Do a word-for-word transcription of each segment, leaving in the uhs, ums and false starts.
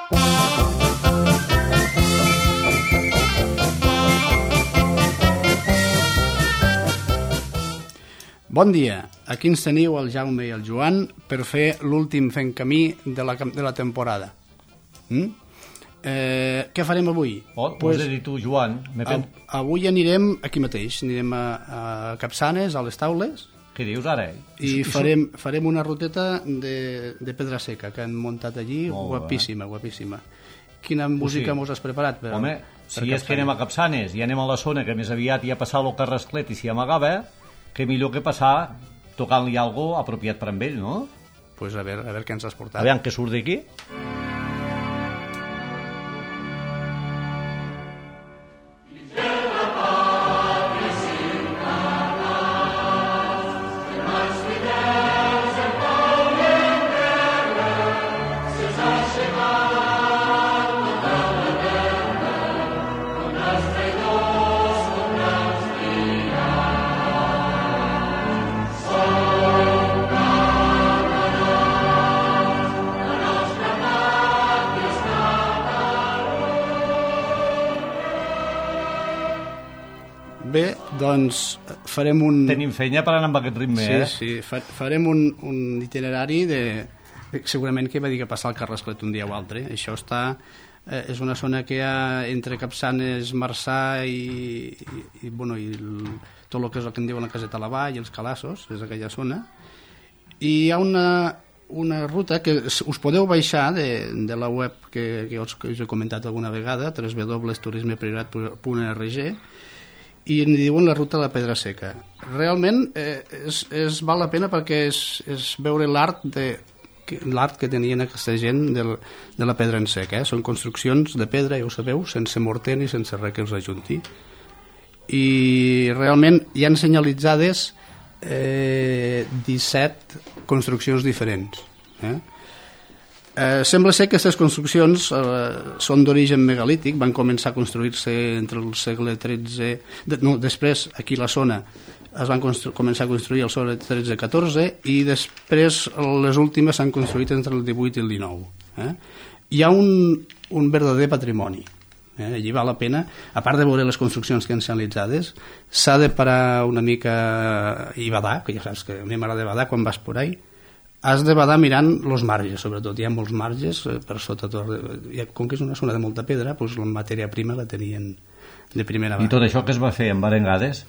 Bon dia, aquí ens teniu el Jaume i el Joan per fer l'últim fent camí de la, de la temporada. Mm? Eh, què farem avui? Oh, pues, has de dir tu, Joan. Pen... Avui anirem aquí mateix, anirem a, a Capçanes, a les Taules. Què dius ara? I farem, farem una ruteta de, de pedra seca que han muntat allí, molt guapíssima, bé. guapíssima. Quina música sí. mos has preparat? Per, Home, per si és que anem a Capçanes i anem a la zona que més aviat hi ha passat el Carrasclet i s'hi amagava, que millor que passar tocant-li alguna cosa apropiat per amb ell, no? Doncs pues a veure, a veure què ens has portat. A veure què surt d'aquí. Bé, doncs farem un... Tenim feina per anar amb aquest ritme, sí, eh? Sí, sí, farem un, un itinerari de... Segurament que va dir que passar el Carrasclet un dia o altre. Això està... Eh, és una zona que hi ha entre Capçanes, Marçà i, i, i, bueno, i el, tot el que és el que en diuen la Caseta a la Vall i els Calassos, és aquella zona. I hi ha una, una ruta que us podeu baixar de, de la web que, que, us, que us he comentat alguna vegada, w w w punt turisme priorat punt org, i en diuen la ruta de la pedra seca. Realment eh, és, és, val la pena perquè és, és veure l'art de, l'art que tenien aquesta gent del, de la pedra en sec. Eh? Són construccions de pedra, ja ho sabeu, sense morter ni sense res que els ajunti. I realment hi han senyalitzades eh, disset construccions diferents. Eh? Eh, sembla ser que aquestes construccions eh, són d'origen megalític, van començar a construir-se entre el segle tretze, de, no, després aquí a la zona es van començar a construir al segle tretze catorze i després les últimes s'han construït entre el divuit i el dinou. Eh? Hi ha un, un verdader patrimoni. Eh? Allí val la pena, a part de veure les construccions que han senyalitzades, s'ha de parar una mica i badar, que ja saps que a mi m'agrada badar quan vas por ahí. Has de badar mirant els marges, sobretot. Hi ha molts marges per sota tot. Com que és una zona de molta pedra, doncs la matèria prima la tenien de primera mà. I tot això que es va fer amb arengades?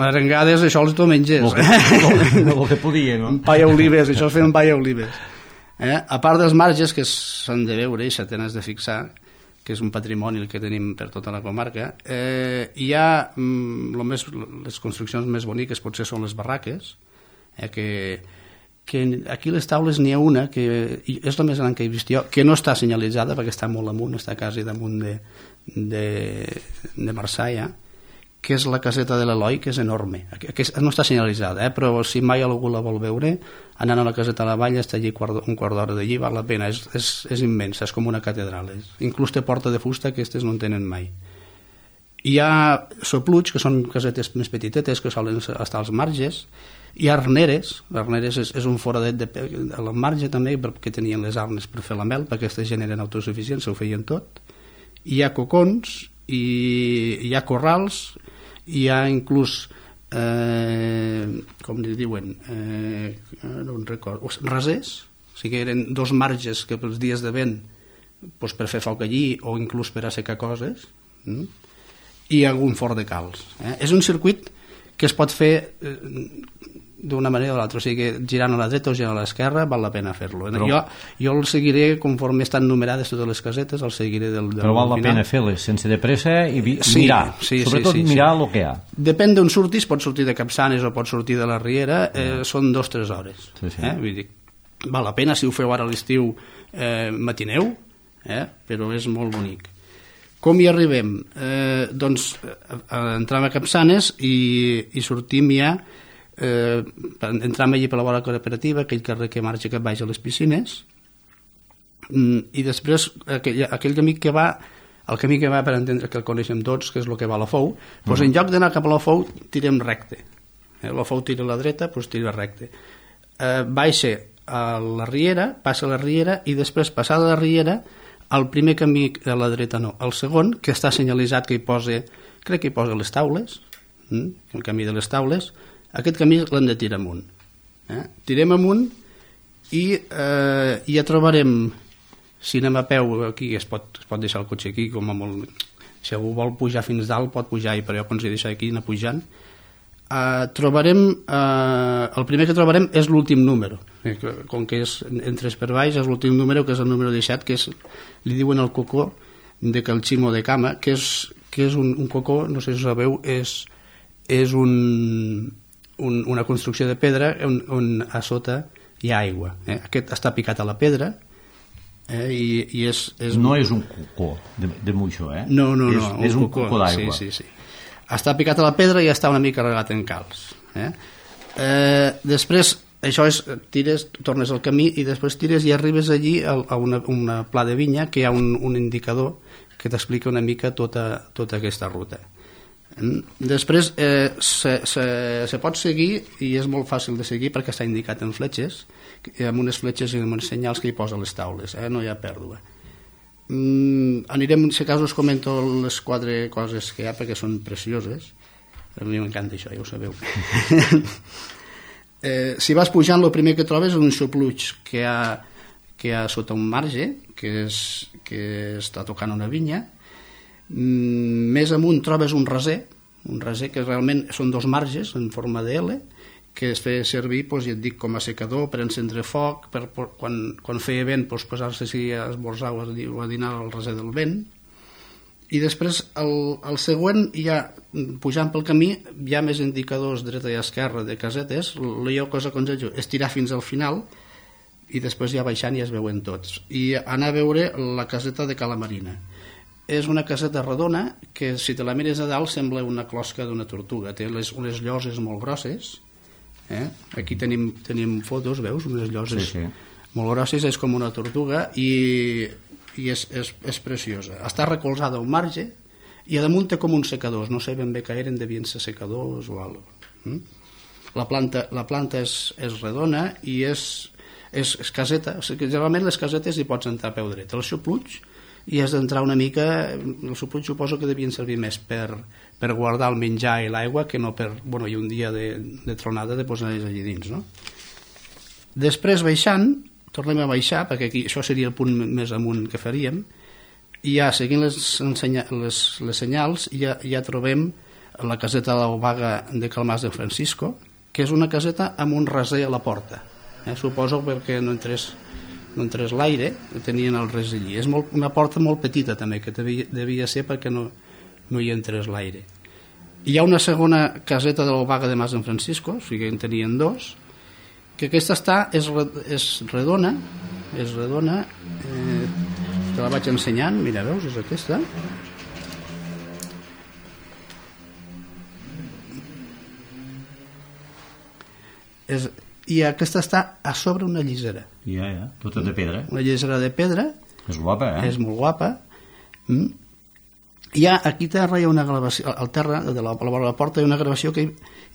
Arengades, això els diumenges. El que, el que podia, no? Pa i olives, això es feia amb pa i olives. Eh? A part dels marges que s'han de veure i s'han de fixar, que és un patrimoni el que tenim per tota la comarca, eh, hi ha mm, lo més, les construccions més boniques potser són les barraques, eh, que que aquí a les Taules n'hi ha una que és la més gran que he vist jo, que no està senyalitzada perquè està molt amunt, està quasi damunt de, de, de Marçà ja, que és la caseta de l'Eloi, que és enorme, que no està senyalitzada, eh? Però si mai algú la vol veure, anant a la caseta a la Vall, està allí un quart d'hora d'allí, val la pena, és, és, és immensa, és com una catedral, és, inclús té porta de fusta, aquestes no en tenen mai. Hi ha sopluig, que són casetes més petitetes, que solen estar als marges. Hi ha arneres, arneres és, és un foradet de, a la marge també, perquè tenien les arnes per fer la mel, perquè aquesta gent eren autosuficients, ho feien tot. Hi ha cocons, i hi ha corrals, hi ha inclús, eh, com li diuen, eh, no en recordo, rasers, o sigui, eren dos marges que pels dies de vent, doncs per fer foc allí, o inclús per assecar coses, mm? I algun fort de calç. Eh? És un circuit que es pot fer eh, d'una manera o l'altra, o sigui que girant a la dreta o girant a l'esquerra val la pena fer-lo. Però... Jo, jo el seguiré conforme estan numerades totes les casetes, el seguiré del, del Però val la final. pena fer-les sense de pressa i vi... sí, mirar, sí, sobretot sí, sí, mirar sí. el que hi ha. Depèn d'on surtis, pot sortir de Capçanes o pot sortir de la Riera, eh, mm. són dos o tres hores. Sí, sí. Eh? Vull dir, val la pena, si ho feu ara a l'estiu, eh, matineu, eh? Però és molt bonic. Com hi arribem? Eh, doncs eh, entrem a Capçanes i, i sortim ja, eh, entram allí per la vora cooperativa, aquell carrer que marxa cap baix a les piscines, i després aquell, aquell camí que va, el camí que va per entendre que el coneixem tots, que és el que va a la Fou, doncs uh-huh. en lloc d'anar cap a la Fou tirem recte. Eh, la Fou tira a la dreta, doncs tira recte. Eh, baixa a la Riera, passa a la Riera i després passada la Riera el primer camí a la dreta no, el segon, que està senyalitzat que hi posa, crec que hi posa les taules, eh? el camí de les taules, aquest camí l'hem de tirar amunt. Eh? Tirem amunt i eh, ja trobarem, si anem a peu aquí, es pot, es pot deixar el cotxe aquí, com a molt... Si algú vol pujar fins dalt, pot pujar-hi, però jo aconsello deixar aquí, anar pujant. Uh, trobarem, uh, el primer que trobarem és l'últim número. Com que és, entres per baix, és l'últim número, que és el número disset, que és, li diuen el cocó de Calchimo de Cama, que és, que és un, un cocó, no sé si ho sabeu, és, és un, un, una construcció de pedra on, on a sota hi ha aigua. Eh? Aquest està picat a la pedra, Eh, i, i és, és... No és un cocó de, de moixó, eh? No, no, no. És, és un cocó, cocó d'aigua. Sí, sí, sí. Està picat a la pedra i està una mica regat en calç. Eh? Eh, després, això és, tires, tornes al camí i després tires i arribes allí a, a una, una pla de vinya que hi ha un, un indicador que t'explica una mica tota, tota aquesta ruta. Després eh, se, se, se pot seguir i és molt fàcil de seguir perquè està indicat en fletxes, amb unes fletxes i amb uns senyals que hi posa les taules, eh? No hi ha pèrdua. Mm, anirem, si cas us comento les quatre coses que hi ha perquè són precioses. A mi m'encanta això, ja ho sabeu. eh, si vas pujant, el primer que trobes és un xupluig que hi ha, que hi ha sota un marge, que, és, que està tocant una vinya. Mm, més amunt trobes un raser, un raser que realment són dos marges en forma de L, que es feia servir, doncs, ja et dic, com a secador per encendre foc, per, per, quan, quan feia vent, doncs, posar-se si a esmorzar o a dinar al raser del vent. I després el, el següent, ja pujant pel camí, hi ha més indicadors dreta i esquerra de casetes. Jo cosa que aconsello és tirar fins al final i després ja baixant ja es veuen tots. I anar a veure la caseta de Cala Marina. És una caseta redona que, si te la mires a dalt, sembla una closca d'una tortuga. Té les, unes lloses molt grosses. Eh? Aquí tenim, tenim fotos, veus? Unes lloses sí, sí. molt grosses, és com una tortuga i, i és, és, és preciosa. Està recolzada a un marge i a damunt té com uns secadors. No sé ben bé que eren, devien ser secadors o alguna cosa. La planta, la planta és, és redona i és, és, és caseta. O sigui, generalment les casetes hi pots entrar a peu dret. El xupluig i has d'entrar una mica, el xupluig suposo que devien servir més per, per guardar el menjar i l'aigua que no per, bueno, i un dia de, de tronada de posar-les allí dins, no? Després baixant, tornem a baixar, perquè aquí, això seria el punt més amunt que faríem, i ja seguint les, ensenya, les, les senyals ja, ja trobem la caseta de l'Obaga de Calmàs de Francisco, que és una caseta amb un raser a la porta, eh? Suposo perquè no entrés no entrés l'aire, tenien el res allí. És molt, una porta molt petita també, que devia, devia ser perquè no, no hi entrés l'aire. Hi ha una segona caseta de l'Obaga de Mas de Francisco, o sigui que en tenien dos, que aquesta està, és, és redona, és redona, eh, te la vaig ensenyant, mira, veus, és aquesta. És, i aquesta està a sobre una llisera. Ja, ja, tota de pedra. Una llisera de pedra. És guapa, eh? És molt guapa. Mm. Hi ha, aquí a terra hi ha una gravació, al terra de la, a la vora de la porta hi ha una gravació que hi,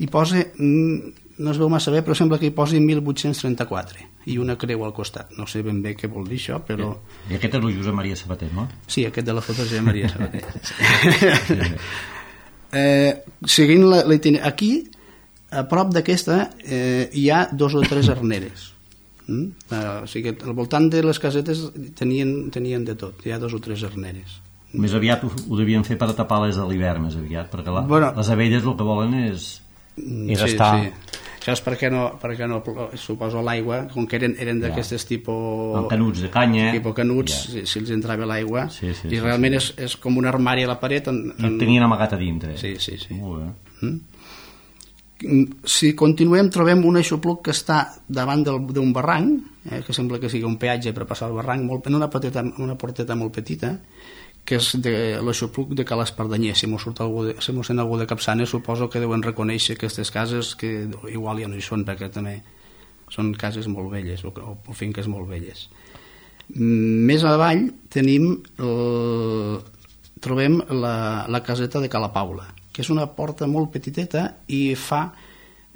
hi posa, mm, no es veu massa bé, però sembla que hi posi mil vuit-cents trenta-quatre i una creu al costat. No sé ben bé què vol dir això, però... I aquest és el Josep Maria Sabater, no? Sí, aquest de la foto és Josep Maria Sabater. Sí. eh, seguint la, la aquí a prop d'aquesta eh, hi ha dos o tres arneres. Mm? Eh, o sigui que al voltant de les casetes tenien, tenien de tot, hi ha dos o tres arneres. Més aviat ho, ho devien fer per tapar les de l'hivern, més aviat, perquè la, bueno, les abelles el que volen és, és sí, estar... Sí. Això és perquè no, perquè no suposo l'aigua, com que eren, eren d'aquestes ja. tipus... Amb canuts de canya. Tipus canuts, ja. si, si els entrava l'aigua. Sí, sí, I sí, realment sí. És, és com un armari a la paret. En, en... I tenien amagat a dintre. Sí, sí, sí. Molt bé. Mm? Si continuem trobem un eixopluc que està davant d'un barranc, eh, que sembla que sigui un peatge per passar el barranc, molt, en una, petita, una porteta molt petita, que és de l'eixopluc de Cal Espardenyer. Si mos surt algú de, si mos sent algú de Capçanes, suposo que deuen reconèixer aquestes cases que igual ja no hi són, perquè també són cases molt velles o, o finques molt velles. Més avall tenim el, trobem la, la caseta de Cala Paula, que és una porta molt petiteta i fa,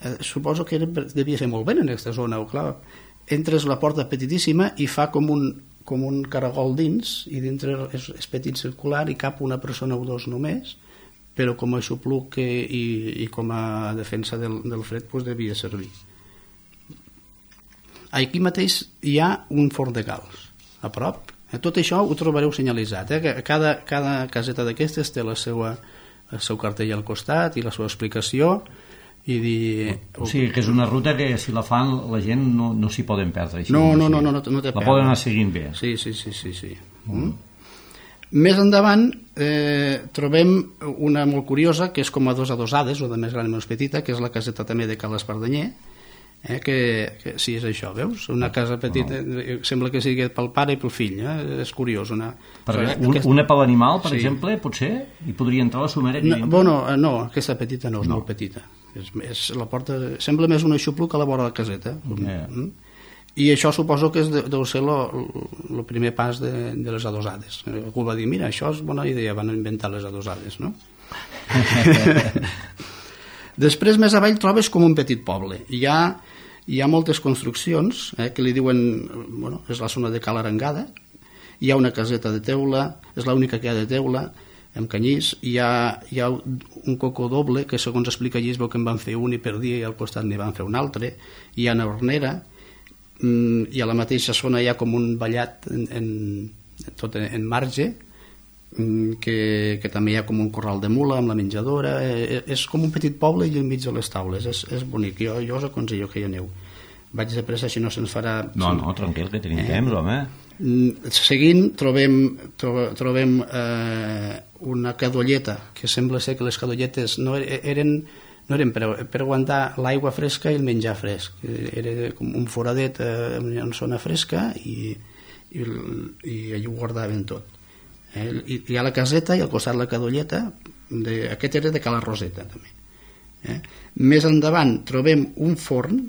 eh, suposo que era, devia ser molt bé en aquesta zona, o clar, entres la porta petitíssima i fa com un, com un caragol dins, i dintre és, és petit circular i cap una persona o dos només, però com a aixopluc i, i com a defensa del, del fred pues, devia servir. Aquí mateix hi ha un forn de calç, a prop. Tot això ho trobareu senyalitzat. Eh? Cada, cada caseta d'aquestes té la seva, el seu cartell al costat i la seva explicació. I dir... O sigui, que és una ruta que si la fan la gent no, no s'hi poden perdre. Així, no, no, no, no, no, no, no té la poden anar seguint bé. Sí, sí, sí, sí, sí. Mm. Més endavant eh, trobem una molt curiosa que és com a dos adosades, o de més gran i més petita, que és la caseta també de Cal Espardenyer, eh, que, que sí, és això, veus? Una casa petita, no. Sembla que sigui pel pare i pel fill, eh? És curiós. Una, per un, aquest... una per l'animal, per sí. exemple, potser hi podria entrar la somera? No, bueno, no, aquesta petita no, és no. molt petita. És, és, la porta, sembla més un aixopluc a la vora de la caseta. Yeah. Mm? I això suposo que és de, deu ser el primer pas de, de les adosades. Algú va dir, mira, això és bona idea, van inventar les adosades, no? Després, més avall, trobes com un petit poble. Hi ha, hi ha moltes construccions eh, que li diuen, bueno, és la zona de Cal Arengada, hi ha una caseta de teula, és l'única que hi ha de teula, amb canyís, hi ha, hi ha un cocó doble, que segons explica allí es veu que en van fer un i per dia i al costat n'hi van fer un altre, hi ha una hornera, i a la mateixa zona hi ha com un ballat en, en, tot en marge, que, que també hi ha com un corral de mula amb la menjadora, és com un petit poble i enmig de les taules, és, és bonic, jo, jo us aconsello que hi aneu. Vaig de pressa, si no se'ns farà... No, no, tranquil, que tenim eh? temps, home. Seguint trobem, trobem eh, una cadolleta, que sembla ser que les cadolletes no eren, no eren per, per aguantar l'aigua fresca i el menjar fresc. Era com un foradet eh, en zona fresca i, i, i allà ho guardaven tot. Eh? I, hi ha la caseta i al costat la cadolleta, de, aquest era de Cala Roseta també. Eh? Més endavant trobem un forn,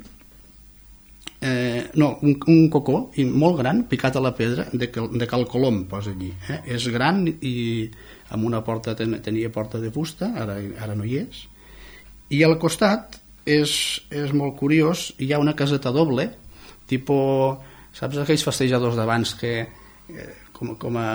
Eh, no, un, un cocó molt gran, picat a la pedra, de, de Cal Colom, posa allí. Eh? És gran i amb una porta, ten, tenia porta de fusta, ara, ara no hi és. I al costat és, és molt curiós, hi ha una caseta doble, tipus, saps aquells festejadors d'abans que, eh, com, com a,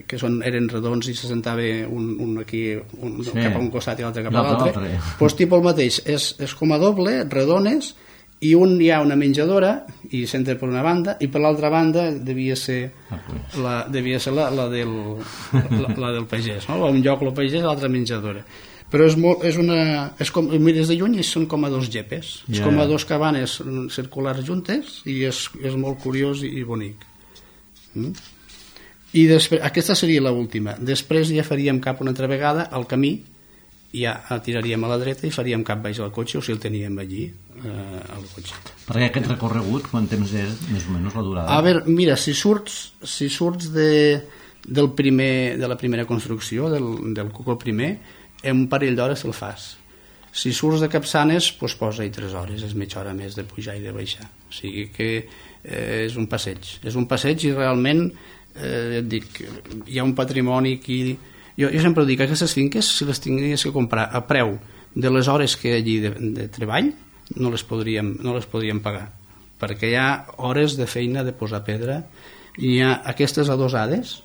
que són, eren redons i se sentava un, un aquí un, sí. cap a un costat i l'altre cap a l'altre? Doncs pues, tipus el mateix, és, és com a doble, redones, i un hi ha una menjadora i s'entra per una banda i per l'altra banda devia ser la, devia ser la, la, del, la, la del pagès, no? Un lloc el pagès i l'altra menjadora, però és, molt, és una és com, mires de lluny i són com a dos gepes, yeah. És com a dos cabanes circulars juntes i és, és molt curiós i bonic. mm? I després, aquesta seria l'última, després ja faríem cap una altra vegada al camí, ja tiraríem a la dreta i faríem cap baix al cotxe, o si el teníem allí eh, al cotxe. Perquè aquest recorregut, quant temps és més o menys la durada? A veure, mira, si surts, si surts de, del primer, de la primera construcció, del, del cocó primer, en un parell d'hores el fas. Si surts de Capçanes, doncs posa-hi tres hores, és mitja hora més de pujar i de baixar. O sigui que eh, és un passeig. És un passeig i realment, eh, et dic, hi ha un patrimoni aquí. Jo, jo sempre dic que aquestes finques, si les tingués que comprar a preu de les hores que hi ha allí de, de treball, no les, podríem, no les podríem pagar, perquè hi ha hores de feina de posar pedra, i hi ha aquestes adosades,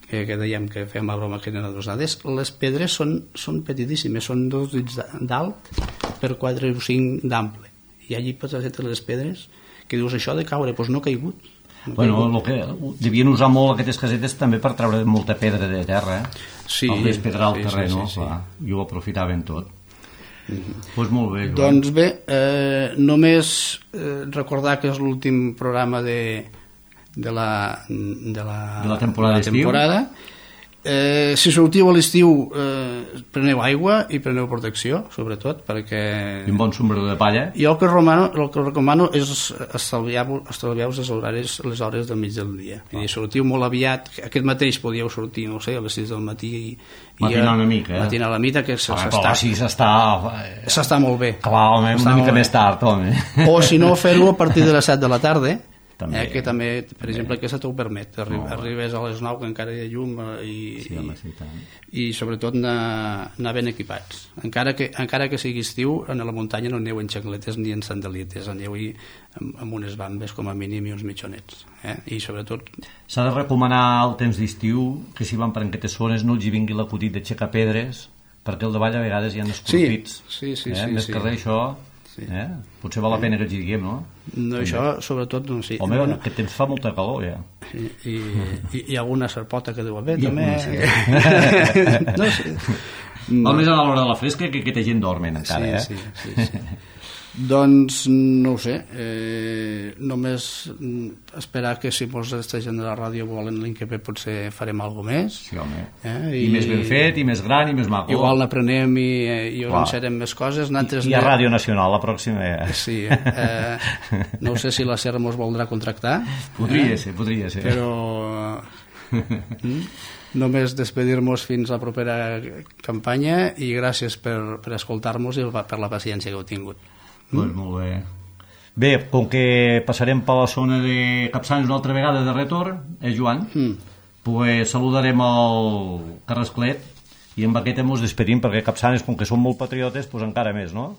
que, que dèiem que fèiem la broma que eren adosades, les pedres són, són petitíssimes, són dos dits d'alt per quatre o cinc d'ample, i allí pots fer les pedres, que dius això de caure, doncs no ha caigut. Bueno, lo que devien usar molt aquestes casetes també per treure molta pedra de terra, eh? Sí, el despedrar el sí, terreny, sí, no? sí, sí. I ho aprofitaven tot. Mm-hmm. Pues molt bé, Joan. Doncs bé, eh, només eh, recordar que és l'últim programa de, de, la, de, la, de la temporada, de la temporada. Eh, si sortiu a l'estiu, eh, preneu aigua i preneu protecció, sobretot, perquè... I un bon sombrero de palla. Jo el que, romano, el que recomano és estalviar-vos estalviar les, hores, les hores del mig del dia. Ah. I sortiu molt aviat, aquest mateix podíeu sortir, no sé, a les sis del matí i, matinar una mica, eh? Matinar la mica, que s'està... Però així s'està... S'està molt bé. Clar, home, una mica més tard, home. O si no, fer-ho a partir de les set de la tarda, També. Eh, que també, per exemple, aquesta t'ho permet. Arri Oh. Arribes a les nou que encara hi ha llum eh, i, Sí, home, sí, tant. i, i sobretot anar, anar ben equipats. Encara que, encara que sigui estiu, a la muntanya no aneu en xancletes ni en sandalietes, aneu-hi amb, amb unes bambes com a mínim i uns mitjonets. Eh? I sobretot... S'ha de recomanar al temps d'estiu que si van per aquestes zones no els hi vingui l'acudit d'aixecar pedres, perquè al davall a vegades hi ha escorpits. Sí, sí, sí. eh? sí, Més sí. que res això, Sí. eh? potser val la pena que els hi diguem, no? No, això, sobretot, no, sí. Home, Bueno, aquest temps fa molta calor, ja. i, i, i, i alguna serpota que deu haver, I també. alguna, No sé. Val més a l'hora de la fresca que aquesta gent dormen encara, sí, eh? sí, sí, sí. Doncs no ho sé, eh, només mm, esperar que si molts d'aquesta gent de la ràdio volen l'any que ve potser farem alguna més. Sí, home. Eh? I, I més ben fet, i més gran, i més maco. Igual n'aprenem i, i Clar. organitzarem més coses. Nosaltres I, I a Ràdio Nacional, la pròxima... Eh? Sí, eh, no sé si la SER mos voldrà contractar. Podria eh? ser, podria ser. Però... Mm? Només despedir-nos fins a la propera campanya i gràcies per, per escoltar-nos i per la paciència que heu tingut. Pues molt bé. Bé, com que passarem per la zona de Capçanes una altra vegada de retorn, eh, Joan? Mm. Pues saludarem el Carrasclet i amb aquest ens despedim, perquè Capçanes, com que són molt patriotes, pues encara més, no?